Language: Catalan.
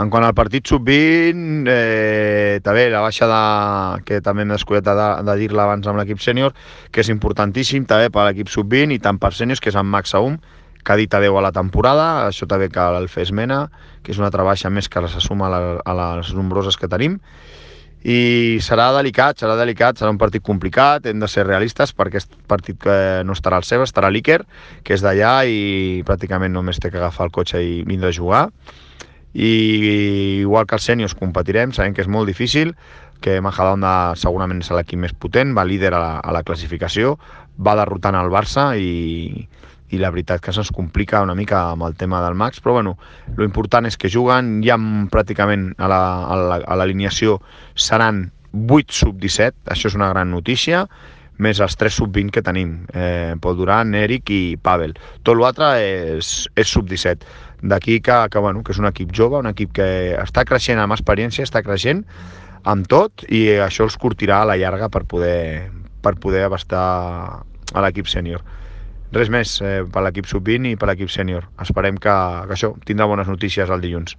En quant al partit sub-20, també la baixa que també m'he descuidat de dir-la abans amb l'equip sènior, que és importantíssim també per l'equip sub-20 i tant per sèniors, que és en Max Aum, que ha dit adeu a la temporada. Això també cal el fer esmena, que és una altra baixa més que se suma a les nombroses que tenim. I serà delicat, serà un partit complicat, hem de ser realistes perquè aquest partit no estarà al Ceba, estarà a l'Iker, que és d'allà i pràcticament només té que agafar el cotxe i vindre a jugar. I igual que els sèniors competirem, sabem que és molt difícil, que Majadahonda segurament és l'equip més potent, va líder a la classificació, va derrotant el Barça i la veritat que se'ns complica una mica amb el tema del Max, però bueno, lo important és que juguen, ja pràcticament a l'alineació seran 8 sub-17, això és una gran notícia, més els 3 sub-20 que tenim, Pol Duran, Eric i Pavel. Tot l'altre és sub-17. D'aquí que és un equip jove, un equip que està creixent amb experiència, està creixent amb tot i això els curtirà a la llarga per poder abastar a l'equip sènior. Res més per l'equip sub-20 i per l'equip sènior. Esperem que això tindrà bones notícies el dilluns.